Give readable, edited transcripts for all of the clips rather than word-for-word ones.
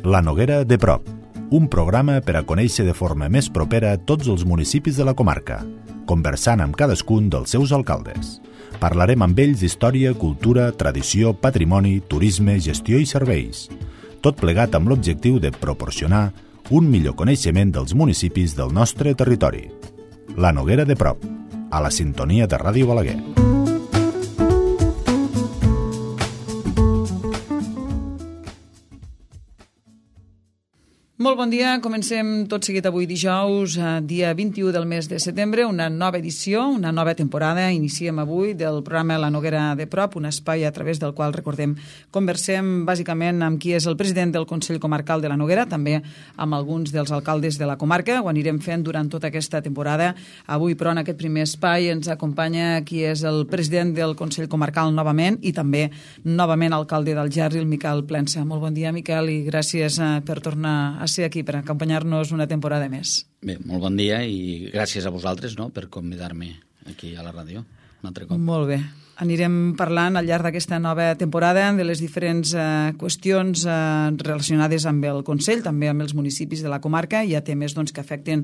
La Noguera de prop, un programa per a conèixer de forma més propera tots els municipis de la comarca, conversant amb cadascun dels seus alcaldes. Parlarem amb ells d'història, cultura, tradició, patrimoni, turisme, gestió i serveis. Tot plegat amb l'objectiu de proporcionar un millor coneixement dels municipis del nostre territori. La Noguera de prop, a la sintonia de Ràdio Balaguer. Molt bon dia, comencem tot seguit avui dijous, dia 21 del mes de setembre, una nova edició, una nova temporada. Iniciem avui del programa La Noguera de prop, un espai a través del qual, recordem, conversem bàsicament amb qui és el president del Consell Comarcal de la Noguera, també amb alguns dels alcaldes de la comarca. Ho anirem fent durant tota aquesta temporada. Avui, però, en aquest primer espai ens acompanya qui és el president del Consell Comarcal novament i també novament alcalde d'Algerri, el Miquel Plensa. Molt bon dia, Miquel, i gràcies per tornar a ser aquí per acompanyar-nos una temporada més. Bé, molt bon dia i gràcies a vosaltres, no?, per convidar-me aquí a la ràdio un altre cop. Molt bé. Anirem parlant al llarg d'aquesta nova temporada de les diferents qüestions relacionades amb el Consell, també amb els municipis de la comarca. Hi ha temes que afecten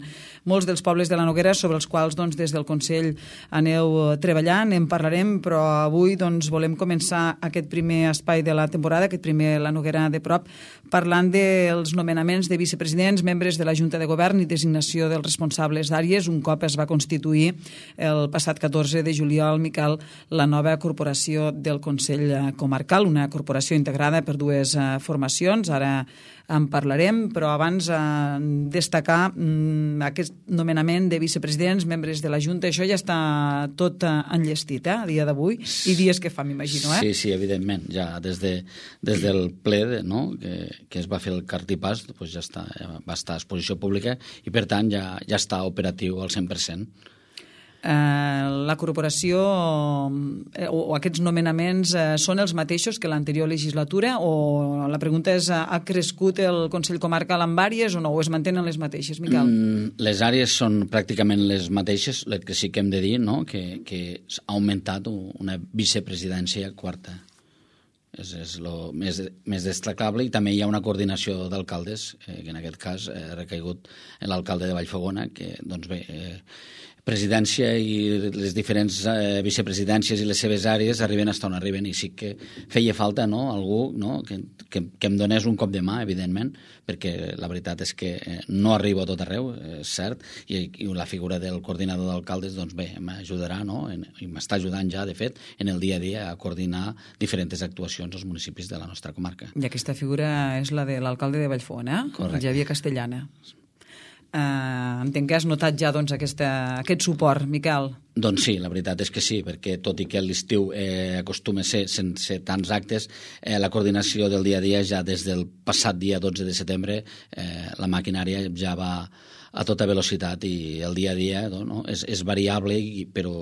molts dels pobles de la Noguera, sobre els quals des del Consell aneu treballant, en parlarem, però avui volem començar aquest primer espai de la temporada, aquest primer La Noguera de prop, parlant dels nomenaments de vicepresidents, membres de la Junta de Govern i designació dels responsables d'àrees, un cop es va constituir el passat 14 de juliol, Miquel, la nova corporació del Consell Comarcal, una corporació integrada per dues formacions, ara en parlarem, però abans destacar aquest nomenament de vicepresidents, membres de la Junta, això ja està tot enllestit, a dia d'avui, i dies que fa, m'imagino, Sí, sí, evidentment, ja des del ple, no?, que es va fer el cartipàs, doncs ja va estar a exposició pública i, per tant, ja està operatiu al 100%. La corporació o aquests nomenaments són els mateixos que l'anterior legislatura, o la pregunta és, ha crescut el Consell Comarcal amb àrees o no, o es mantenen les mateixes, Miquel? Les àrees són pràcticament les mateixes, el que sí que hem de dir, no?, que ha augmentat una vicepresidència quarta. És el més destacable, i també hi ha una coordinació d'alcaldes, que en aquest cas ha recaigut en l'alcalde de Vallfogona, que, doncs bé, presidència i les diferents vicepresidències i les seves àrees arriben fins on arriben, i sí que feia falta, no?, algú, no?, que em donés un cop de mà, evidentment, perquè la veritat és que no arribo a tot arreu, és cert, i la figura del coordinador d'alcaldes, doncs bé, m'ajudarà, no?, i m'està ajudant ja, de fet, en el dia a dia a coordinar diferents actuacions als municipis de la nostra comarca. I aquesta figura és la de l'alcalde de Vallfogona, el Xavier Castellana. Entenc que has notat ja aquest suport, Miquel. Doncs sí, la veritat és que sí, perquè tot i que l'estiu acostuma a ser sense tants actes, la coordinació del dia a dia ja des del passat dia 12 de setembre la maquinària ja va a tota velocitat, i el dia a dia, no, és variable, però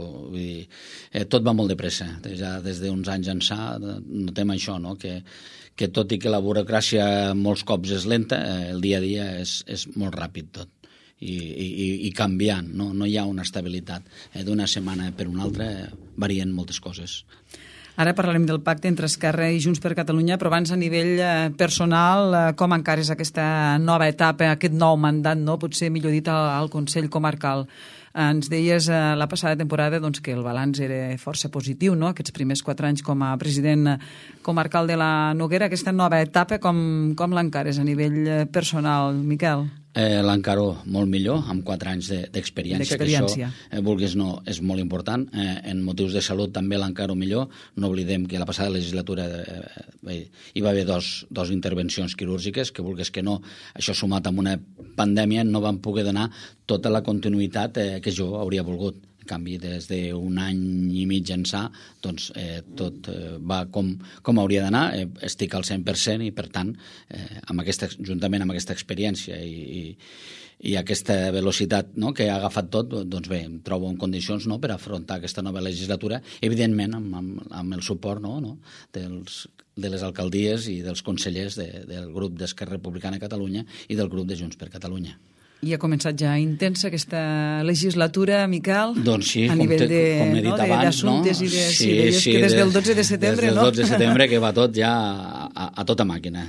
tot va molt de pressa. Ja des d'uns anys ençà notem això, no?, que tot i que la burocràcia molts cops és lenta, el dia a dia és molt ràpid tot. I canviant, no hi ha una estabilitat. D'una setmana per una altra varien moltes coses. Ara parlarem del pacte entre Esquerra i Junts per Catalunya, però abans a nivell personal, com encares aquesta nova etapa, aquest nou mandat, no? Potser millor dit al Consell Comarcal. Ens deies la passada temporada que el balanç era força positiu, no?, aquests primers 4 anys com a president comarcal de la Noguera. Aquesta nova etapa, com l'encares a nivell personal, Miquel? L'encaro molt millor, amb 4 anys d'experiència, que això, vulguis no, és molt important. En motius de salut també l'encaro millor. No oblidem que la passada legislatura hi va haver dos intervencions quirúrgiques, que vulguis que no, això sumat amb una pandèmia, no van poder donar tota la continuïtat que jo hauria volgut. En canvi, des d'un any i mig ençà, doncs tot va com hauria d'anar. Estic al 100% i, per tant, juntament amb aquesta experiència i aquesta velocitat, no?, que ha agafat tot, doncs bé, em trobo en condicions, no?, per afrontar aquesta nova legislatura, evidentment amb el suport, no?, de les alcaldies i dels consellers del grup d'Esquerra Republicana de Catalunya i del grup de Junts per Catalunya. I ha començat ja intensa aquesta legislatura, Miquel? Doncs sí, a nivell com he dit abans, d'assumptes, no? Sí, que des del 12 de setembre, no? Des del 12 de setembre que va tot ja a tota màquina.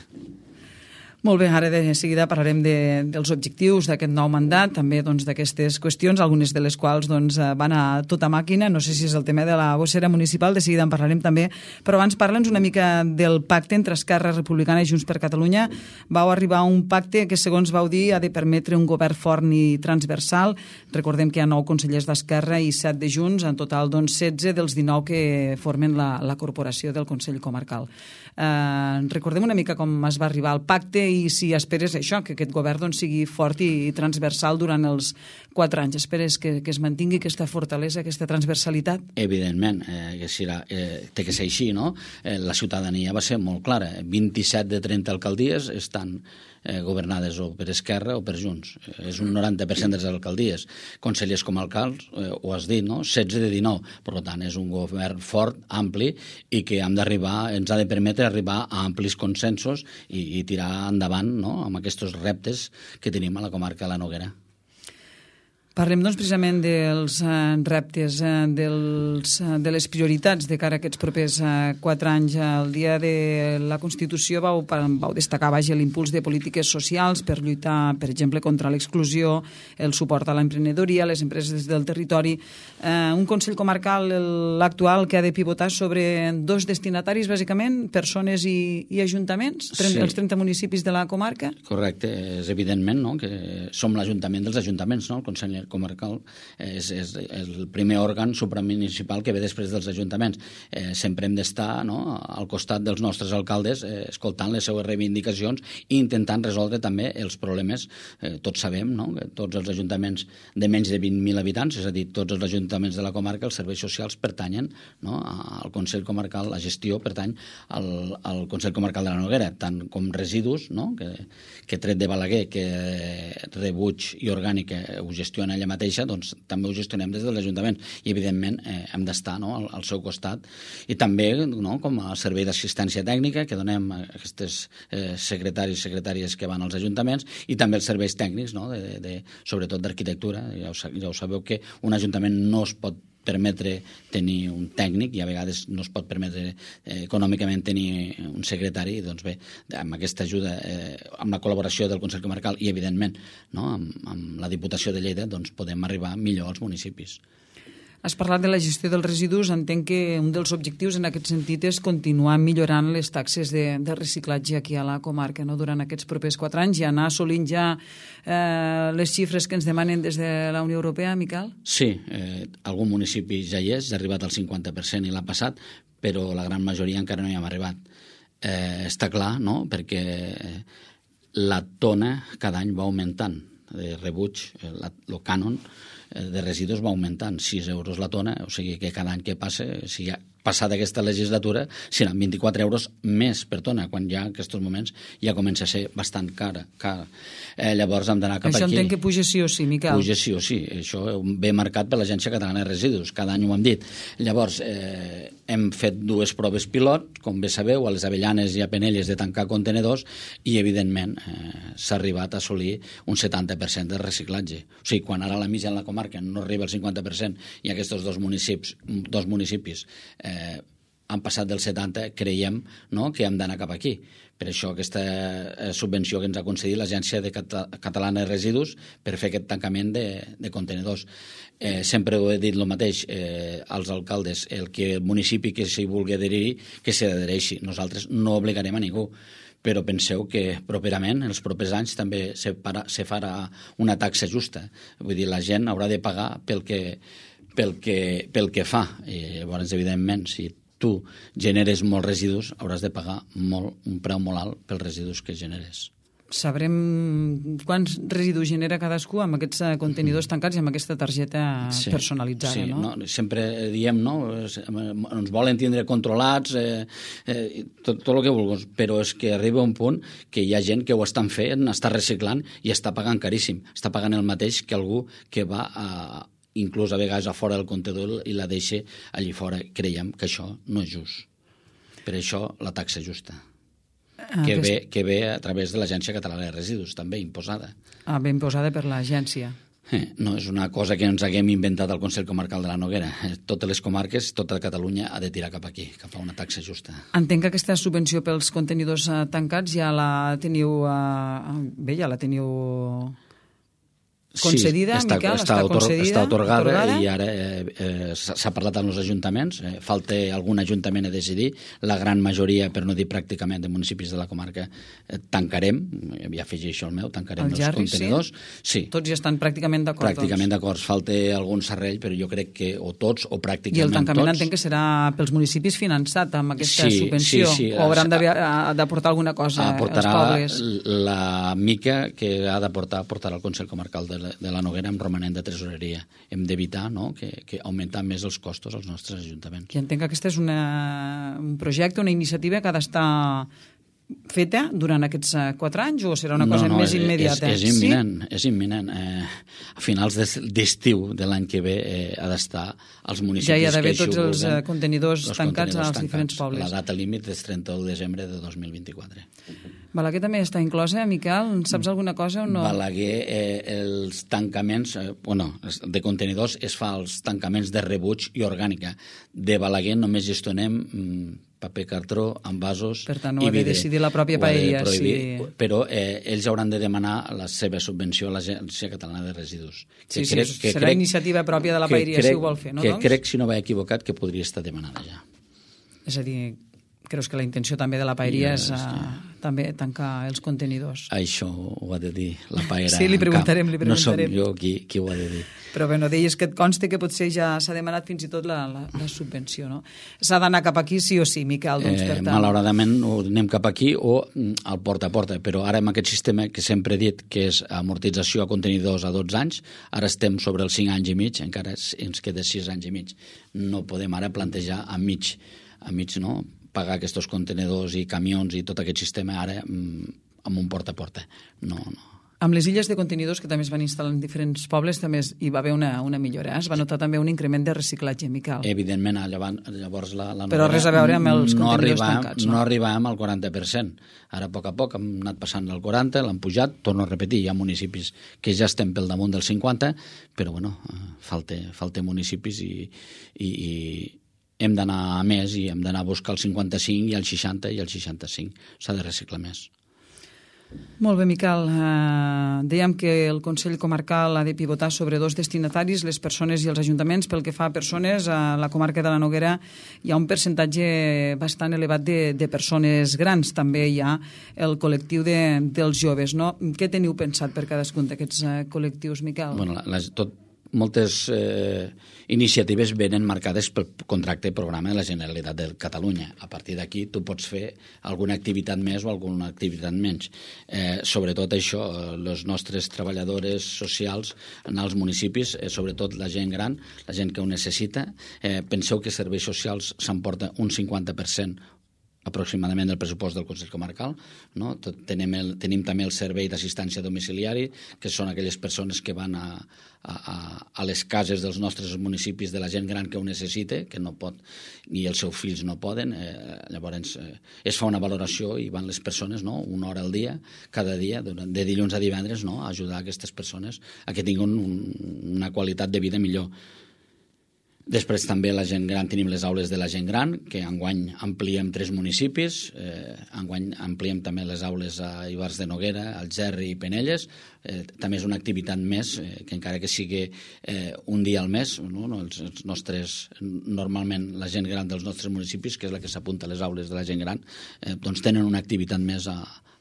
Molt bé, ara de seguida parlarem dels objectius d'aquest nou mandat, també d'aquestes qüestions, algunes de les quals van a tota màquina. No sé si és el tema de la gossera municipal, de seguida en parlarem també, però abans parla'ns una mica del pacte entre Esquerra Republicana i Junts per Catalunya. Vau arribar a un pacte que, segons vau dir, ha de permetre un govern fort i transversal. Recordem que hi ha 9 consellers d'Esquerra i 7 de Junts, en total 16 dels 19 que formen la corporació del Consell Comarcal. Recordem una mica com es va arribar al pacte i si esperes això, que aquest govern sigui fort i transversal durant els 4 anys. Esperes que es mantingui aquesta fortalesa, aquesta transversalitat? Evidentment, té que ser així, no? La ciutadania va ser molt clara. 27 de 30 alcaldies estan governades o per Esquerra o per Junts. És un 90% de les alcaldies. Consellers comarcals, ho has dit, no? 16 de 19. Per tant, és un govern fort, ampli, i que ens ha de permetre arribar a amplis consensos i tirar endavant, no?, amb aquests reptes que tenim a la comarca de la Noguera. Parlem, precisament dels reptes, de les prioritats de cara a aquests propers 4 anys. El dia de la Constitució vau destacar l'impuls de polítiques socials per lluitar, per exemple, contra l'exclusió, el suport a l'emprenedoria, les empreses del territori. Un Consell Comarcal, l'actual, que ha de pivotar sobre 2 destinataris, bàsicament, persones i ajuntaments, els 30 municipis de la comarca. Correcte, és evidentment, no?, que som l'Ajuntament dels ajuntaments, no?, el Consell Comarcal és el primer òrgan supramunicipal que ve després dels ajuntaments. Sempre hem d'estar, no?, al costat dels nostres alcaldes, escoltant les seues reivindicacions i intentant resoldre també els problemes. Tots sabem, no?, que tots els ajuntaments de menys de 20.000 habitants, és a dir, tots els ajuntaments de la comarca, els serveis socials pertanyen, no?, al Consell Comarcal, la gestió pertany al Consell Comarcal de la Noguera, tant com residus, no?, que tret de Balaguer, que rebuig i orgànica ho gestiona ella mateixa, doncs també ho gestionem des de l'Ajuntament i evidentment hem d'estar, no?, al seu costat, i també, no?, com a servei d'assistència tècnica que donem a aquests secretaris i secretàries que van als ajuntaments, i també els serveis tècnics, no?, sobretot d'arquitectura. Ja ho sabeu que un ajuntament no es pot permetre tenir un tècnic i a vegades no es pot permetre econòmicament tenir un secretari. Doncs bé, amb aquesta ajuda, amb la col·laboració del Consell Comarcal i evidentment, no?, amb la Diputació de Lleida, doncs podem arribar millor als municipis. Has parlat de la gestió dels residus. Entenc que un dels objectius en aquest sentit és continuar millorant les taxes de reciclatge aquí a la comarca, no?, durant aquests propers 4 anys, i anar assolint ja les xifres que ens demanen des de la Unió Europea, Miquel? Sí, algun municipi ja hi és, ha arribat al 50% i l'ha passat, però la gran majoria encara no hi hem arribat. Està clar, no?, perquè la tona cada any va augmentant de rebuig, el cànon de residus va augmentant, 6 euros la tona, o sigui que cada any que passa, si ja passada aquesta legislatura, seran 24 euros més per tona, quan ja en aquests moments ja comença a ser bastant cara. Llavors hem d'anar cap aquí. Això aquí. entenc que puja sí o sí, Miquel. Puja sí o sí, això ve marcat per l'Agència Catalana de Residus, cada any ho hem dit. Llavors, hem fet 2 proves pilot, com bé sabeu, a les Avellanes i a Penelles, de tancar contenedors, i evidentment s'ha arribat a assolir un 70% de reciclatge. O sigui, quan ara la mitja en la comarca no arriba al 50% i aquests dos municipis han passat del 70, creiem, no?, que hem d'anar cap aquí. Per això aquesta subvenció que ens ha concedit l'Agència Catalana de Residus per fer aquest tancament de contenedors. Sempre ho he dit el mateix als alcaldes, el municipi que s'hi vulgui adherir, que s'hi adhereixi. Nosaltres no obligarem a ningú, però penseu que properament, els propers anys, també se farà una taxa justa. Vull dir, la gent haurà de pagar pel que fa. I llavors, evidentment, si tu generes molts residus, hauràs de pagar un preu molt alt pels residus que generes. Sabrem quants residus genera cadascú amb aquests contenidors tancats i amb aquesta targeta personalitzada, no? Sí, sempre diem, no?, ens volen tindre controlats, tot el que vulguis, però és que arriba un punt que hi ha gent que ho estan fent, està reciclant i està pagant caríssim. Està pagant el mateix que algú que va inclús a vegades a fora del contenidor i la deixa allí fora. Creiem que això no és just. Per això la taxa justa, que ve a través de l'Agència Catalana de Residus, també imposada. Ben imposada per l'agència. No és una cosa que ens haguem inventat al Consell Comarcal de la Noguera. Totes les comarques, tota Catalunya ha de tirar cap aquí, cap a una taxa justa. Entenc que aquesta subvenció pels contenidors tancats ja la teniu... Bé, ja la teniu... concedida, sí, Miquel? Està atorgada i ara s'ha parlat amb els ajuntaments. Falta algun ajuntament a decidir. La gran majoria, per no dir pràcticament, de municipis de la comarca tancarem, ja afegeixo el meu, tancarem els contenidors. Sí. Tots ja estan pràcticament d'acord. Pràcticament d'acord. Falta algun serrell, però jo crec que o tots o pràcticament tots. I el tancament entenc que serà pels municipis finançat amb aquesta subvenció. Sí. O hauran d'aportar alguna cosa els pobles? La mica que ha d'aportar portarà el Consell Comarcal de la Noguera amb romanent de tresoreria. Hem d'evitar que augmentar més els costos als nostres ajuntaments. I entenc que aquest és un projecte, una iniciativa que ha d'estar feta durant aquests 4 anys o serà una cosa més immediata? És imminent, és imminent. A finals d'estiu de l'any que ve ha d'estar als municipis que ja hi ha d'haver així ho tots els contenidors tancats als diferents pobles. La data límit és 31 de desembre de 2024. Balaguer també està inclosa, Miquel? Saps alguna cosa o no? Balaguer, els tancaments de contenidors es fa els tancaments de rebuig i orgànica. De Balaguer només gestionem paper cartró, envasos i vidre. Per tant, ho ha de decidir la pròpia paeria. Però ells hauran de demanar la seva subvenció a l'Agència Catalana de Residus. Serà iniciativa pròpia de la paeria, si ho vol fer, no? Crec, si no vaig equivocat, que podria estar demanada ja. És a dir, creus que la intenció també de la paeria és també tancar els contenidors? Això ho ha de dir la paera. Sí, li preguntarem. No som jo qui ho ha de dir. Però bé, deies que et consta que potser ja s'ha demanat fins i tot la subvenció, no? S'ha d'anar cap aquí sí o sí, Miquel, doncs per tant. Malauradament anem cap aquí o al porta a porta, però ara amb aquest sistema que sempre he dit que és amortització a contenidors a 12 anys, ara estem sobre els 5 anys i mig, encara ens queda 6 anys i mig. No podem ara plantejar a mig, no?, pagar aquests contenidors i camions i tot aquest sistema ara amb un porta a porta. No. Amb les illes de contenidors que també es van instal·lar en diferents pobles també hi va haver una millora. Es va notar també un increment de reciclatge, Miquel. Evidentment, llavors la Però res a veure amb els contenidors tancats. No arribàvem al 40%. Ara, a poc a poc, hem anat passant al 40%, l'han pujat, torno a repetir, hi ha municipis que ja estem pel damunt del 50%, però falta municipis i hem d'anar a més i hem d'anar a buscar el 55 i el 60 i el 65. S'ha de reciclar més. Molt bé, Miquel. Dèiem que el Consell Comarcal ha de pivotar sobre 2 destinataris, les persones i els ajuntaments. Pel que fa a persones, a la comarca de la Noguera hi ha un percentatge bastant elevat de persones grans. També hi ha el col·lectiu dels joves, no? Què teniu pensat per cadascun d'aquests col·lectius, Miquel? Moltes iniciatives venen marcades pel contracte programa de la Generalitat de Catalunya. A partir d'aquí tu pots fer alguna activitat més o alguna activitat menys. Sobretot això, les nostres treballadores socials en els municipis, sobretot la gent gran, la gent que ho necessita. Penseu que serveis socials s'emporta un 50% aproximadament del pressupost del Consell Comarcal, no? Tenim també el servei d'assistència domiciliari, que són aquelles persones que van a les cases dels nostres municipis de la gent gran que ho necessita, que no pot, ni els seus fills no poden. Llavors es fa una valoració i van les persones, no?, 1 hora al dia, cada dia, de dilluns a divendres, no?, a ajudar aquestes persones a que tinguin una qualitat de vida millor. Després també la gent gran, tenim les aules de la gent gran, que enguany ampliem 3 municipis, enguany ampliem també les aules a Ivars de Noguera, Algerri i Penelles. També és una activitat més, que encara que sigui un dia al mes, no? Els nostres, normalment la gent gran dels nostres municipis, que és la que s'apunta a les aules de la gent gran, doncs tenen una activitat més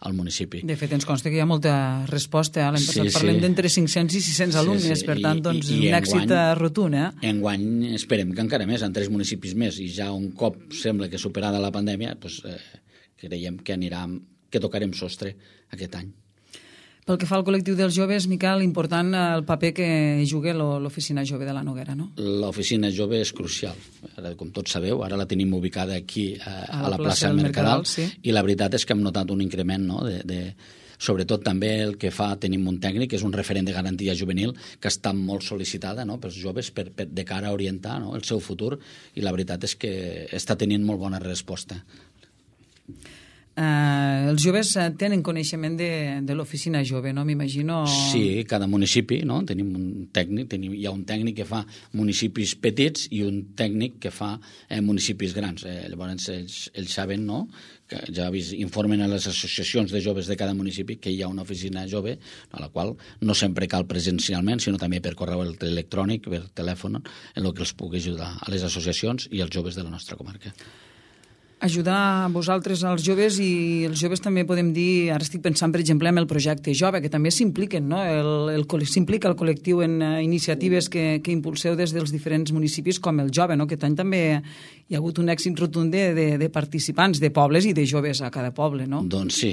al municipi. De fet, ens consta que hi ha molta resposta. L'any passat parlem d'entre 500 i 600 alumnes, per tant, doncs, un èxit rotund. Enguany esperem que encara més, en 3 municipis més, i ja un cop sembla que superada la pandèmia, creiem que tocarem sostre aquest any. Pel que fa al col·lectiu dels joves, Miquel, important el paper que juga l'Oficina Jove de la Noguera, no? L'Oficina Jove és crucial. Ara, com tots sabeu, ara la tenim ubicada aquí a la plaça del Mercadal, sí. I la veritat és que hem notat un increment, no?, sobretot també el que fa, tenim un tècnic, que és un referent de garantia juvenil, que està molt sol·licitada, no?, pels joves de cara a orientar, no?, el seu futur, i la veritat és que està tenint molt bona resposta. Els joves tenen coneixement de l'oficina jove, no? M'imagino... Sí, cada municipi, no? Tenim un tècnic, hi ha un tècnic que fa municipis petits i un tècnic que fa municipis grans. Llavors ells saben, no?, que ja informen a les associacions de joves de cada municipi que hi ha una oficina jove, a la qual no sempre cal presencialment, sinó també per correu electrònic, per telèfon, en el que els pugui ajudar a les associacions i als joves de la nostra comarca. Ajudar a vosaltres, als joves, i els joves també podem dir, ara estic pensant, per exemple, en el projecte jove, que també s'impliquen, no? S'implica el col·lectiu en iniciatives que impulseu des dels diferents municipis, com el jove, no? Aquest any també hi ha hagut un èxit rotund de participants, de pobles i de joves a cada poble, no? Doncs sí.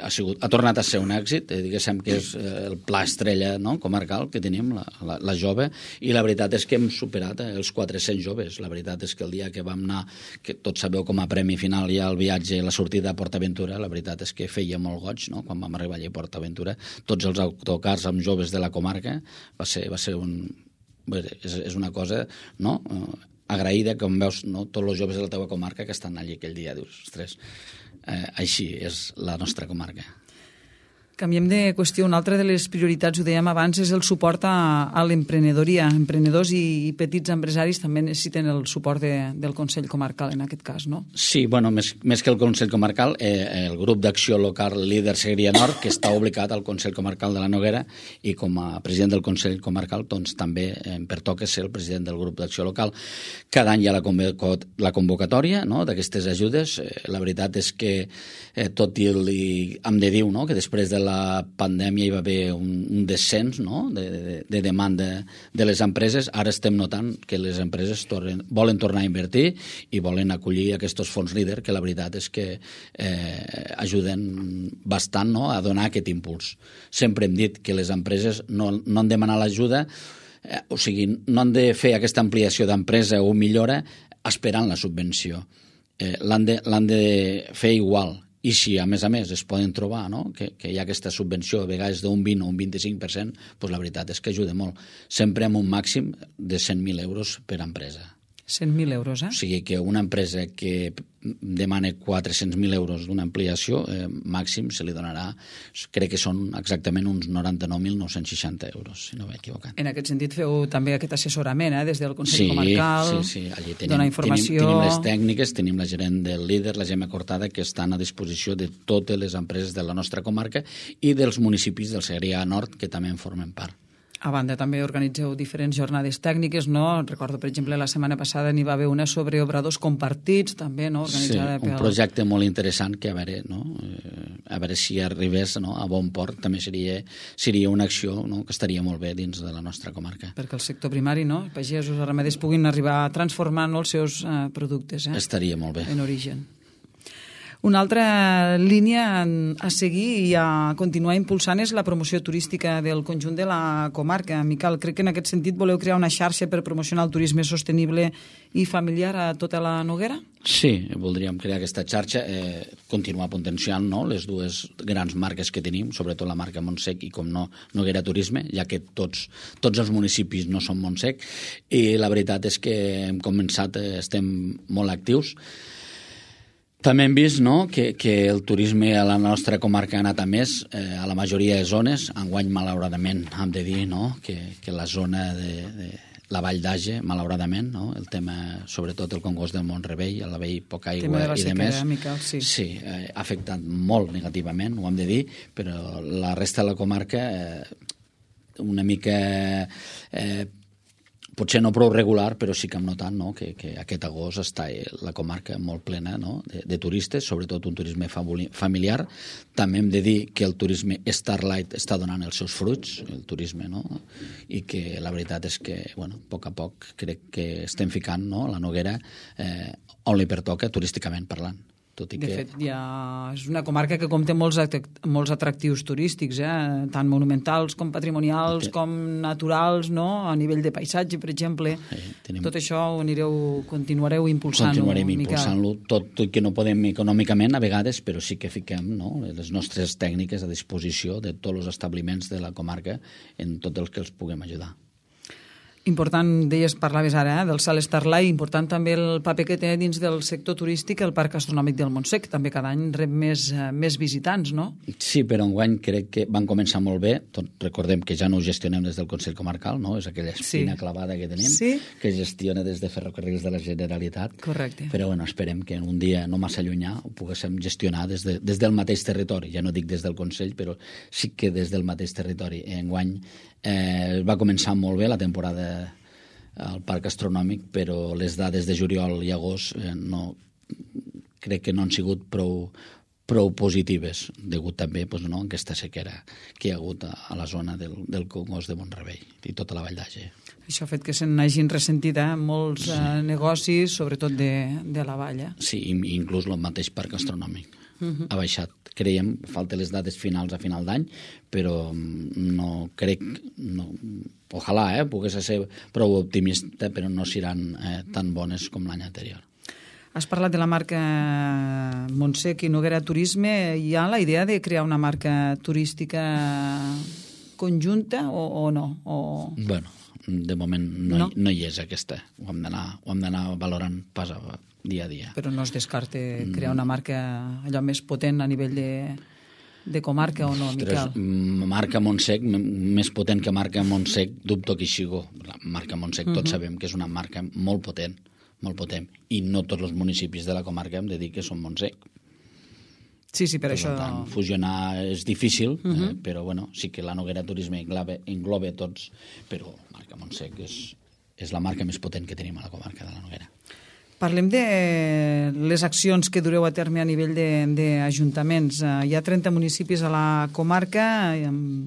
Ha tornat a ser un èxit, diguéssim que és el pla estrella, no?, comarcal que tenim, la jove, i la veritat és que hem superat els 400 joves. La veritat és que el dia que vam anar, que tots sabeu com a premi final hi ha el viatge, la sortida a PortAventura, la veritat és que feia molt goig, no?, quan vam arribar allà a PortAventura, tots els autocars amb joves de la comarca, va ser és una cosa, no?, agraïda, com veus, no?, tots els joves de la teva comarca que estan allà aquell dia, dius, ostres, així és la nostra comarca. Canviem de qüestió. Una altra de les prioritats, ho dèiem abans, és el suport a l'emprenedoria. Emprenedors i petits empresaris també necessiten el suport del Consell Comarcal, en aquest cas, no? Sí, bueno, més que el Consell Comarcal, el grup d'acció local Líder Segrià Nord, que està obligat al Consell Comarcal de la Noguera, i com a president del Consell Comarcal, doncs també em pertoca ser el president del grup d'acció local. Cada any hi ha la convocatòria, no?, d'aquestes ajudes. La veritat és que, tot i hem de dir, no?, que després de la pandèmia hi va haver un descens, no?, de demanda de les empreses. Ara estem notant que les empreses volen tornar a invertir i volen acollir aquests fons líder, que la veritat és que ajuden bastant, no?, a donar aquest impuls. Sempre hem dit que les empreses no han de demanar l'ajuda, o sigui, no han de fer aquesta ampliació d'empresa o millora esperant la subvenció. L'han de fer igual. I si, a més, es poden trobar, no?, que hi ha aquesta subvenció, a vegades d'un 20 o un 25%, doncs la veritat és que ajuda molt. Sempre amb un màxim de 100.000 euros per empresa. 100.000 euros, O sigui que una empresa que demana 400.000 euros d'una ampliació, màxim se li donarà, crec que són exactament uns 99.960 euros, si no m'he equivocat. En aquest sentit feu també aquest assessorament, des del Consell Comarcal, sí. Allí donar informació... Tenim les tècniques, tenim la gerent del Líder, la Gemma Cortada, que estan a disposició de totes les empreses de la nostra comarca i dels municipis del Segrià Nord, que també en formen part. A banda, també organitzeu diferents jornades tècniques, no? Recordo, per exemple, la setmana passada n'hi va haver una sobre obradors compartits, també, no? Organitzada un projecte molt interessant que, a veure si arribés, no?, a bon port, també seria una acció, no?, que estaria molt bé dins de la nostra comarca. Perquè el sector primari, no?, pagesos, ramaders puguin arribar a transformar, no?, els seus productes, Estaria molt bé. En origen. Una altra línia a seguir i a continuar impulsant és la promoció turística del conjunt de la comarca. Miquel, crec que en aquest sentit voleu crear una xarxa per promocionar el turisme sostenible i familiar a tota la Noguera? Sí, voldríem crear aquesta xarxa, continuar potenciant, no?, les dues grans marques que tenim, sobretot la marca Montsec i, com no, Noguera Turisme, ja que tots els municipis no són Montsec, i la veritat és que hem començat, estem molt actius. També hem vist, no?, que el turisme a la nostra comarca ha anat a més, a la majoria de zones. Enguany, malauradament, hem de dir, no?, que la zona de la Vall d'Age, malauradament, no?, el tema, sobretot el Congost del Mont-rebei, a l'haver poca aigua i de més, sí, ha afectat molt negativament, ho hem de dir, però la resta de la comarca una mica... potser no prou regular, però sí que hem notat, no?, que aquest agost està la comarca molt plena, no?, de turistes, sobretot un turisme familiar. També hem de dir que el turisme Starlight està donant els seus fruits, el turisme, no?, i que la veritat és que, bueno, a poc crec que estem ficant, no?, la Noguera on li pertoca turísticament parlant. De fet, és una comarca que compta molts atractius turístics, tant monumentals com patrimonials, com naturals, no?, a nivell de paisatge, per exemple. Tot això continuareu impulsant-ho, Continuarem impulsant-lo, tot i que no podem econòmicament a vegades, però sí que fiquem, no?, les nostres tècniques a disposició de tots els establiments de la comarca en tot el que els puguem ajudar. Important, deies, parlaves ara, del Salt Starlight, important també el paper que té dins del sector turístic el Parc Astronòmic del Montsec. També cada any rep més visitants, no? Sí, però enguany crec que van començar molt bé. Recordem que ja no ho gestionem des del Consell Comarcal, no? És aquella espina clavada que tenim, que gestiona des de Ferrocarrils de la Generalitat. Correcte. Però bueno, esperem que un dia no massa llunyà ho poguéssim gestionar des del mateix territori. Ja no dic des del Consell, però sí que des del mateix territori. Enguany va començar molt bé la temporada al Parc Astronòmic, però les dades de juliol i agost crec que no han sigut prou positives, degut també a aquesta sequera que hi ha hagut a la zona del Congost de Mont-rebei i tota la Vall d'Àger. Això ha fet que se n'hagin ressentit molts negocis, sobretot de la vall. Sí, inclús el mateix Parc Astronòmic ha baixat. Creiem, falten les dades finals a final d'any, però no crec, ojalà pogués ser prou optimista, però no seran tan bones com l'any anterior. Has parlat de la marca Montsec i Noguera Turisme. Hi ha la idea de crear una marca turística conjunta o no? Bueno, de moment no hi és aquesta. Ho hem d'anar valorant pas dia a dia. Però no es descarta crear una marca allò més potent a nivell de comarca o no, Miquel? Marca Montsec, més potent que marca Montsec, dubto que hi sigui. La marca Montsec tots sabem que és una marca molt potent, i no tots els municipis de la comarca hem de dir que són Montsec. Sí, per això... Per tant, fusionar és difícil, però bueno, sí que la Noguera Turisme engloba tots, però marca Montsec és la marca més potent que tenim a la comarca de la Noguera. Parlem de les accions que dureu a terme a nivell d'ajuntaments. Hi ha 30 municipis a la comarca,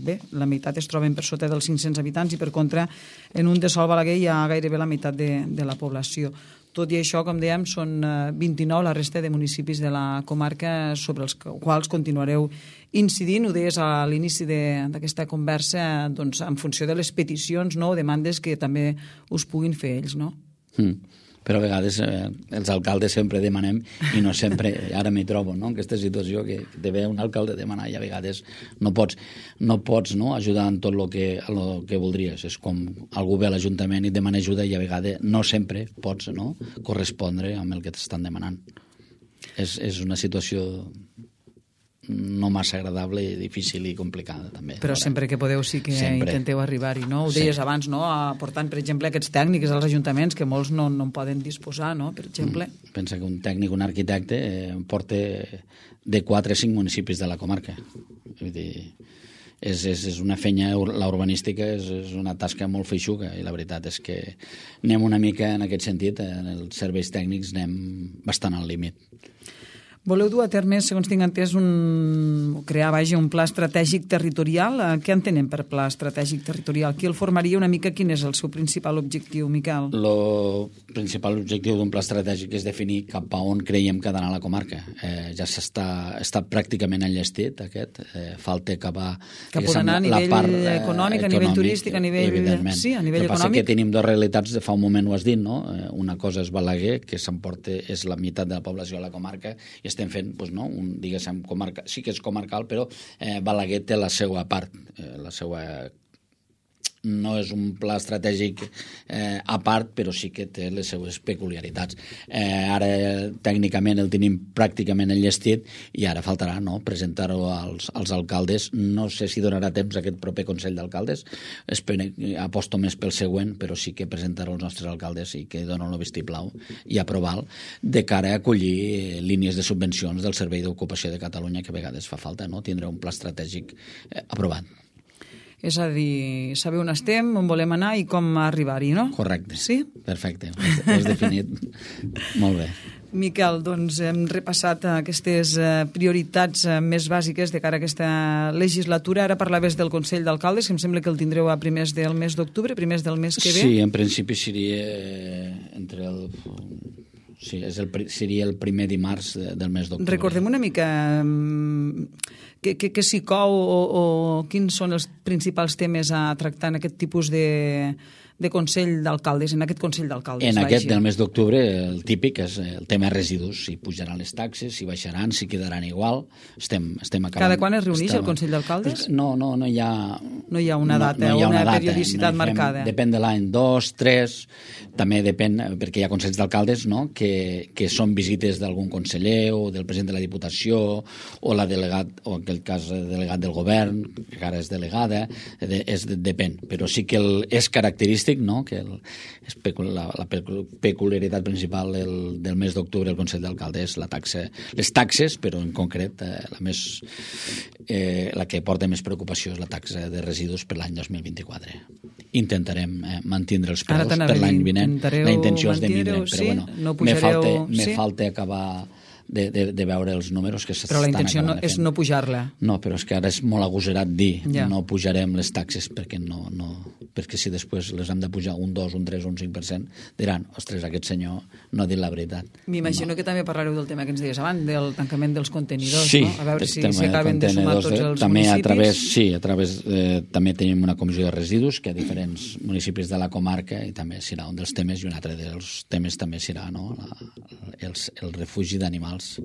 bé, la meitat es troben per sota dels 500 habitants i per contra en un de Sol Balaguer hi ha gairebé la meitat de la població. Tot i això, com dèiem, són 29 la resta de municipis de la comarca sobre els quals continuareu incidint. Ho deies a l'inici d'aquesta conversa, doncs, en funció de les peticions o demandes que també us puguin fer ells, no? Però a vegades els alcaldes sempre demanem i no sempre, ara m'hi trobo, no?, en aquesta situació que te ve un alcalde demanar i a vegades no pots ajudar en tot el que voldries. És com algú ve a l'Ajuntament i demana ajuda i a vegades no sempre pots correspondre amb el que t'estan demanant. És una situació no massa agradable, difícil i complicada també. Però sempre que podeu sí que intenteu arribar-hi, no? Ho deies abans, no? Aportant, per exemple, aquests tècnics als ajuntaments que molts no en poden disposar, no? Per exemple. Pensa que un tècnic, un arquitecte, porta de 4 a 5 municipis de la comarca. Vull dir, és una feina, la urbanística és una tasca molt feixuga i la veritat és que anem una mica en aquest sentit, en els serveis tècnics anem bastant al límit. Voleu dur a terme, segons tinc entès, crear un pla estratègic territorial. Què entenem per pla estratègic territorial? Qui el formaria una mica? Quin és el seu principal objectiu, Miquel? El principal objectiu d'un pla estratègic és definir cap a on creiem que ha d'anar la comarca. Ja està pràcticament enllestit, aquest. Falta acabar... Cap on anar a nivell econòmic, a nivell turístic, a nivell... Sí, a nivell econòmic. El que passa que tenim dues realitats, fa un moment ho has dit, no? Una cosa és Balaguer, que s'emporta, és la meitat de la població de la comarca, i estem fent, diguéssim, comarca, sí que és comarcal, però Balaguer té la seva part, no és un pla estratègic a part, però sí que té les seues peculiaritats. Ara tècnicament el tenim pràcticament enllestit i ara faltarà presentar-ho als alcaldes. No sé si donarà temps aquest proper Consell d'Alcaldes, aposto més pel següent, però sí que presentar-ho als nostres alcaldes i que donen el vistiplau i aprovar de cara a acollir línies de subvencions del Servei d'Ocupació de Catalunya, que a vegades fa falta, tindre un pla estratègic aprovat. És a dir, saber on estem, on volem anar i com arribar-hi, no? Correcte. Sí? Perfecte, ho has definit molt bé. Miquel, doncs hem repassat aquestes prioritats més bàsiques de cara a aquesta legislatura. Ara parlaves del Consell d'Alcaldes, que em sembla que el tindreu a primers del mes d'octubre, primers del mes que ve. Sí, en principi seria entre el... Sí, seria el primer dimarts del mes d'octubre. Recordem una mica què s'hi cou o quins són els principals temes a tractar en aquest tipus de de Consell d'Alcaldes, en aquest Consell d'Alcaldes? En aquest del mes d'octubre, el típic és el tema residus, si pujaran les taxes, si baixaran, si quedaran igual. Estem acabant. Cada quan es reuneix el Consell d'Alcaldes? No hi ha... No hi ha una data o una periodicitat marcada. Depèn de l'any, 2, 3, també depèn, perquè hi ha consells d'alcaldes, no?, que són visites d'algun conseller o del president de la Diputació o la delegat, o en aquest cas delegat del govern, que ara és delegada, depèn. Però sí que és característic, no?, que la peculiaritat principal del mes d'octubre del Consell d'Alcaldes és les taxes, però en concret la que porta més preocupació és la taxa de residus per l'any 2024. Intentarem mantindre els preus per l'any vinent. La intenció és de mínim, però bueno, me falta acabar de veure els números que s'estan acabant de fer. Però la intenció és no pujar-la. No, però és que ara és molt agosarat dir no pujarem les taxes perquè si després les hem de pujar un 2, un 3, un 5%, diran, ostres, aquest senyor no ha dit la veritat. M'imagino que també parlareu del tema que ens deies abans, del tancament dels contenidors, sí, no? A veure si s'acaben de sumar tots els municipis. També tenim una comissió de residus que a diferents municipis de la comarca i també serà un dels temes i un altre dels temes també serà el refugi d'animals.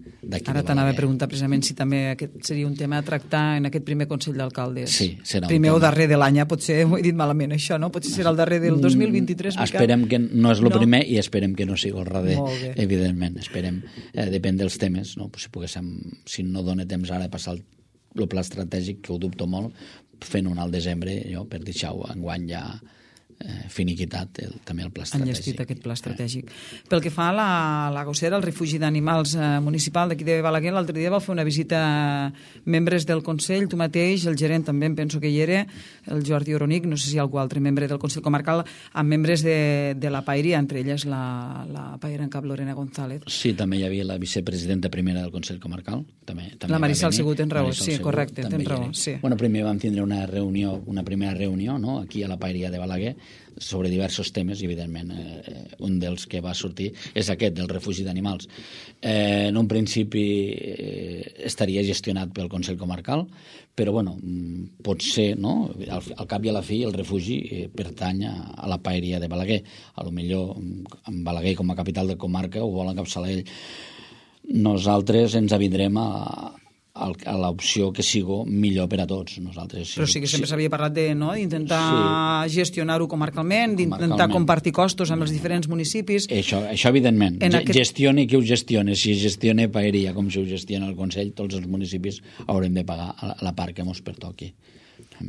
Ara t'anava a preguntar precisament si també aquest seria un tema a tractar en aquest primer Consell d'Alcaldes. Sí, serà primer o darrer de l'any, potser ho he dit malament això, no? Potser serà el darrer del 2023. Esperem que no és el primer i esperem que no sigui el darrer, evidentment. Esperem, depèn dels temes, no? Si no dona temps ara de passar el pla estratègic, que ho dubto molt, fent-ho al desembre, per deixar-ho enguany ja finiquitat també el pla estratègic. Enllestit aquest pla estratègic. Pel que fa a la gossera, el refugi d'animals municipal d'aquí de Balaguer, l'altre dia va fer una visita a membres del Consell, tu mateix, el gerent també em penso que hi era, el Jordi Oronic, no sé si hi ha algú altre membre del Consell Comarcal, amb membres de la Paeria, entre elles la Paera en cap Lorena González. Sí, també hi havia la vicepresidenta primera del Consell Comarcal. També la Marisol Segur, tens raó, sí, correcte, tens raó. Bueno, primer vam tindre una primera reunió, no?, aquí a la Paeria de Balaguer, sobre diversos temes, i evidentment un dels que va sortir és aquest, del refugi d'animals. En un principi estaria gestionat pel Consell Comarcal, però bueno, potser, no?, al cap i a la fi el refugi pertany a la Paeria de Balaguer. A lo millor en Balaguer com a capital de comarca ho vol encapçalar ell. Nosaltres ens avindrem a l'opció que sigui millor per a tots. Però sí que sempre s'havia parlat d'intentar gestionar-ho comarcalment, d'intentar compartir costos amb els diferents municipis. Això evidentment. Gestioni qui ho gestioni. Si gestiona Paeria com si ho gestiona el Consell, tots els municipis haurem de pagar la part que ens pertoqui.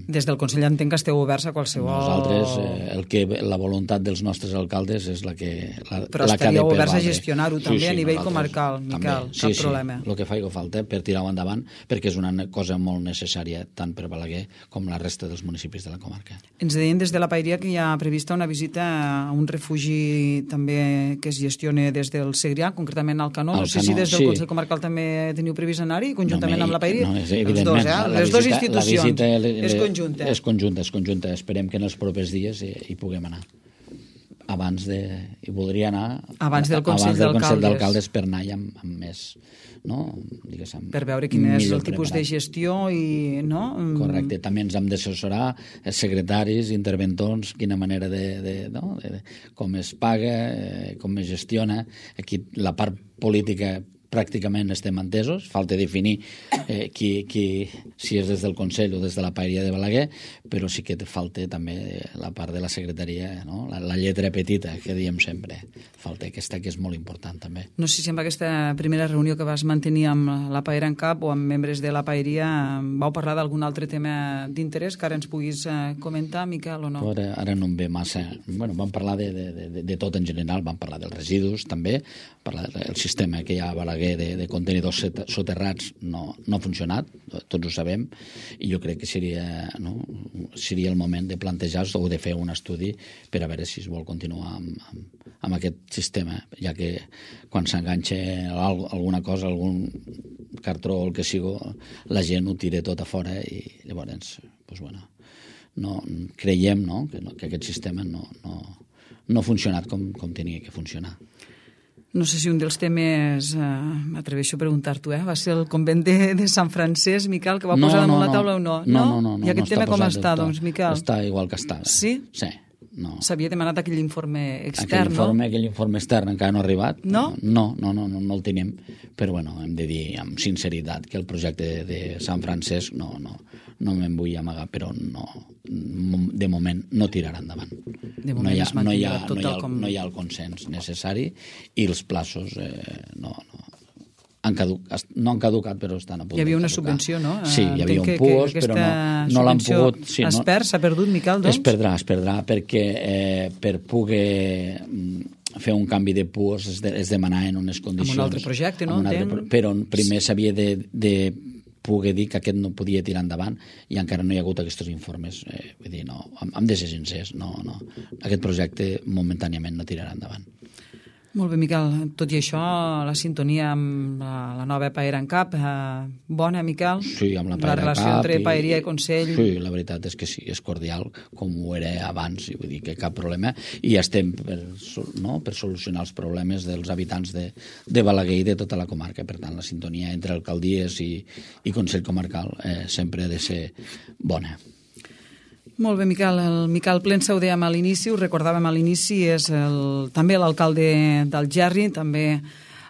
Des del Consell entenc que esteu oberts a qualsevol... Nosaltres, la voluntat dels nostres alcaldes és la que Però estaríeu oberts a gestionar-ho també a nivell comarcal, Miquel, cap problema. Sí, el que faci falta per tirar-ho endavant, perquè és una cosa molt necessària tant per Balaguer com la resta dels municipis de la comarca. Ens deien des de la Paeria que hi ha prevista una visita a un refugi també que es gestiona des del Segrià, concretament al Canó. No sé si des del Consell Comarcal també teniu previst anar-hi, conjuntament amb la Paeria? No, evidentment. Les dues institucions. És conjunta. És conjunta. Esperem que en els propers dies hi puguem anar. I voldria anar abans del Consell d'Alcaldes per anar amb més, no? Per veure quin és el tipus de gestió i, no? Correcte. També ens hem d'assessorar secretaris, interventors, quina manera com es paga, com es gestiona. Aquí la part política pràcticament estem entesos, falta definir si és des del Consell o des de la Paeria de Balaguer, però sí que falta també la part de la secretaria, no? La lletra petita, que diem sempre. Falta aquesta, que és molt important també. No sé si amb aquesta primera reunió que vas mantenir amb la Paera en cap o amb membres de la Paeria vau parlar d'algun altre tema d'interès que ara ens puguis comentar, Miquel, o no? Ara no em ve massa. Bueno, vam parlar de tot en general, vam parlar dels residus també, parlar del sistema que hi ha a Balaguer de contenidors soterrats no ha funcionat, tots ho sabem, i jo crec que seria el moment de plantejar o de fer un estudi per a veure si es vol continuar amb aquest sistema, ja que quan s'enganxa alguna cosa, algun cartró o el que sigui, la gent ho tira tot a fora i llavors, creiem que aquest sistema no ha funcionat com tenia que funcionar. No sé si un dels temes, m'atreveixo a preguntar-t'ho, va ser el convent de Sant Francesc, Miquel, que va posar damunt la taula o no? No. I aquest tema com està, doncs, Miquel? Està igual que estava. Sí? Sí. no. S'havia demanat aquell informe extern, no? Aquell informe extern encara no ha arribat. No? No el tenim. Però, bueno, hem de dir amb sinceritat que el projecte de Sant Francesc no me'n vull amagar, però no, de moment no tirarà endavant. De moment no hi ha el consens necessari i els plaços no han caducat, però estan a punt de caducar. Hi havia una subvenció, no? Sí, hi havia un PUOS, però no l'han pogut... Sí, s'ha perdut, Miquel, doncs? Es perdrà, perquè per poder fer un canvi de PUOS es demanaven unes condicions... Amb un altre projecte, no? Però primer s'havia de poder dir que aquest no podia tirar endavant i encara no hi ha hagut aquests informes. Vull dir, no, hem de ser sincers, no. Aquest projecte momentàniament no tirarà endavant. Molt bé, Miquel. Tot i això, la sintonia amb la nova Paera en Cap, bona, Miquel? Sí, amb la Paera en Cap. La relació entre Paeria i Consell. Sí, la veritat és que sí, és cordial, com ho era abans, i vull dir que cap problema. I estem per solucionar els problemes dels habitants de Balaguer i de tota la comarca. Per tant, la sintonia entre alcaldies i Consell Comarcal sempre ha de ser bona. Molt bé, Miquel. El Miquel Plensa ho dèiem a l'inici, ho recordàvem a l'inici, és també l'alcalde d'Algerri, també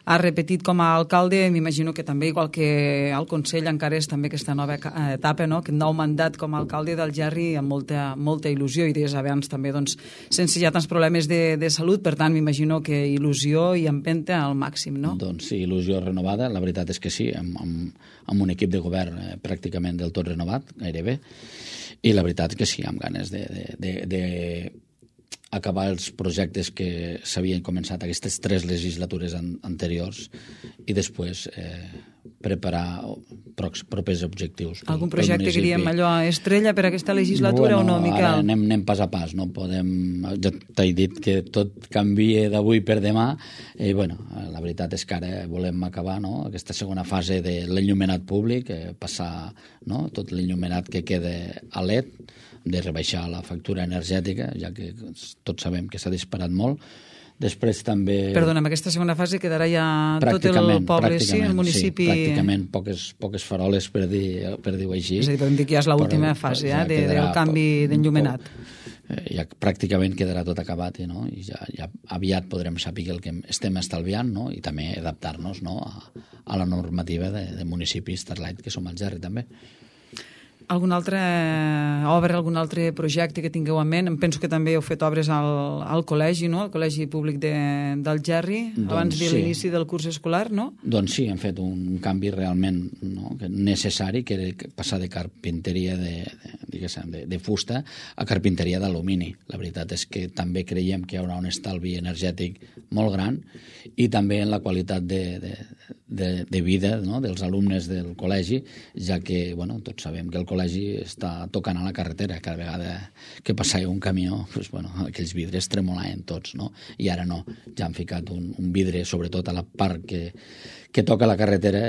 ha repetit com a alcalde, m'imagino que també, igual que al Consell, encara és també aquesta nova etapa, no? Aquest nou mandat com a alcalde d'Algerri amb molta il·lusió, i des abans també, doncs, sense ja tants problemes de salut, per tant, m'imagino que il·lusió i empenta al màxim, no? Doncs sí, il·lusió renovada, la veritat és que sí, amb un equip de govern pràcticament del tot renovat, gairebé, i la veritat que sí, amb ganes d'acabar els projectes que s'havien començat aquestes 3 legislatures anteriors i després preparar propers objectius. Algun projecte que diríem allò estrella per aquesta legislatura o no, Miquel? Anem pas a pas, no podem... Ja t'he dit que tot canvia d'avui per demà i, la veritat és que ara volem acabar aquesta segona fase de l'enllumenat públic, passar tot l'enllumenat que queda a LED, de rebaixar la factura energètica, ja que tots sabem que s'ha disparat molt. Després també... Perdona, en aquesta segona fase quedarà ja tot el poble, sí, el municipi... Sí, pràcticament poques faroles, per dir-ho així. És a dir, podem dir que ja és l'última fase del canvi d'enllumenat. Ja pràcticament quedarà tot acabat i ja aviat podrem saber el que estem estalviant i també adaptar-nos a la normativa de municipis Starlight, que som al Algerri també. Alguna altra obra, algun altre projecte que tingueu en ment? Em penso que també heu fet obres al col·legi, no? Al Col·legi Públic d'Algerri, abans de l'inici del curs escolar, no? Doncs sí, hem fet un canvi realment necessari, que era passar de carpinteria de fusta a carpinteria d'alumini. La veritat és que també creiem que hi haurà un estalvi energètic molt gran i també en la qualitat de vida dels alumnes del col·legi, ja que tots sabem que el col·legi està tocant a la carretera. Cada vegada que passava un camió, aquells vidres tremolaven tots, i ara no. Ja han ficat un vidre, sobretot a la part que toca la carretera,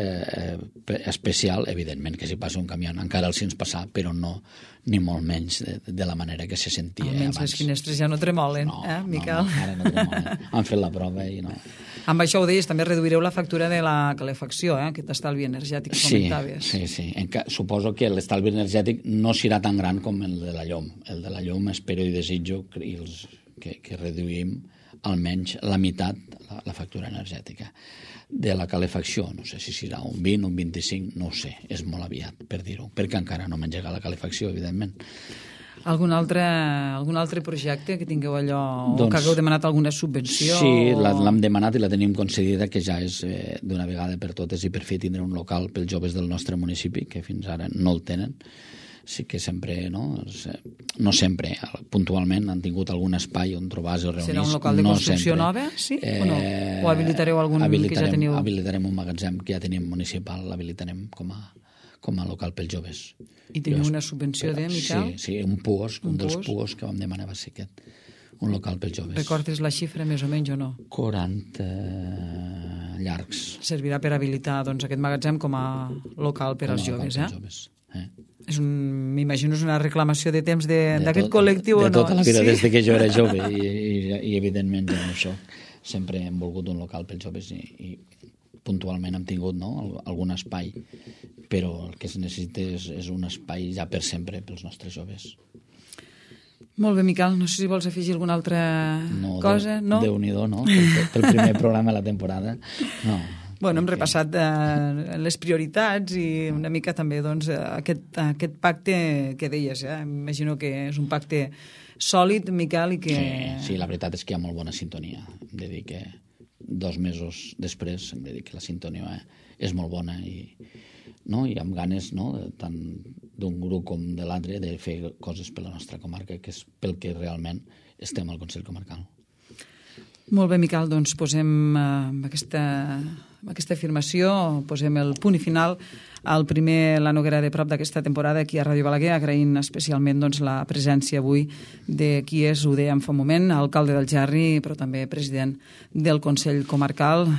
especial. Evidentment que si passa un camió encara el sents passar, però no ni molt menys de la manera que se sentia abans. Almenys les finestres ja no tremolen, Miquel? No, ara no tremolen. Han fet la prova i no... Amb això ho deies, també reduireu la factura de la calefacció, aquest estalvi energètic que comentaves. Sí. Suposo que l'estalvi energètic no serà tan gran com el de la llum. El de la llum espero i desitjo que reduïm almenys la meitat la factura energètica. De la calefacció, no sé si serà un 20, un 25, no ho sé, és molt aviat per dir-ho, perquè encara no m'engega la calefacció, evidentment. Algun altre projecte que tingueu allò, o que hagueu demanat alguna subvenció? Sí, l'hem demanat i la tenim concedida, que ja és d'una vegada per totes i per fi tindre un local pels joves del nostre municipi, que fins ara no el tenen. Sí que sempre, no sempre, puntualment han tingut algun espai on trobar-se o reunir-se. Serà un local de construcció nova, sí? O no? O habilitareu algun que ja teniu? Habilitarem un magatzem que ja tenim municipal, l'habilitarem com a local pels joves. I teniu una subvenció Miquel? Sí, un PUOS, un dels PUOS que vam demanar va ser aquest, un local pels joves. Recordes la xifra més o menys o no? 40 llargs. Servirà per habilitar aquest magatzem com a local per als joves, M'imagino és una reclamació de temps d'aquest col·lectiu o no? De tota la vida, des que jo era jove i evidentment ja no ho soc. Sempre hem volgut un local pels joves i puntualment hem tingut algun espai, però el que es necessita és un espai ja per sempre pels nostres joves. Molt bé, Miquel. No sé si vols afegir alguna altra cosa. No? Déu-n'hi-do, no? Pel primer programa de la temporada. No. Bueno, hem repassat les prioritats i una mica també doncs, aquest pacte que deies. Imagino que és un pacte sòlid, Miquel, i que... Sí, la veritat és que hi ha molt bona sintonia. Hem de dir que 2 mesos després hem de dir que la sintonia és molt bona i amb ganes, tant d'un grup com de l'altre, de fer coses per la nostra comarca, que és pel que realment estem al Consell Comarcal. Molt bé, Miquel, doncs posem amb aquesta afirmació, posem el punt i final al primer La Noguera de Prop d'aquesta temporada aquí a Ràdio Balaguer, agraint especialment doncs, la presència avui de qui és, ho dèiem fa un moment, alcalde del Gerri, però també president del Consell Comarcal,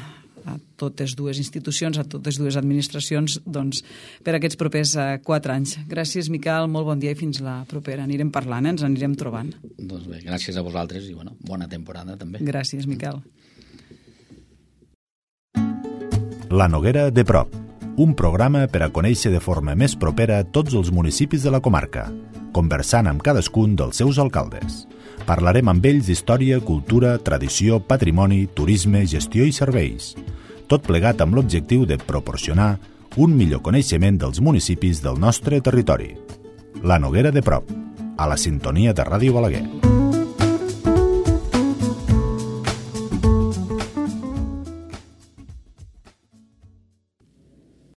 a totes dues institucions, a totes dues administracions, doncs, per aquests propers 4 anys. Gràcies, Miquel, molt bon dia i fins la propera. Anirem parlant, ens anirem trobant. Doncs bé, gràcies a vosaltres i bona temporada també. Gràcies, Miquel. La Noguera de Prop, un programa per a conèixer de forma més propera tots els municipis de la comarca, conversant amb cadascun dels seus alcaldes. Parlarem amb ells d'història, cultura, tradició, patrimoni, turisme, gestió i serveis. Tot plegat amb l'objectiu de proporcionar un millor coneixement dels municipis del nostre territori. La Noguera de Prop, a la sintonia de Ràdio Balaguer.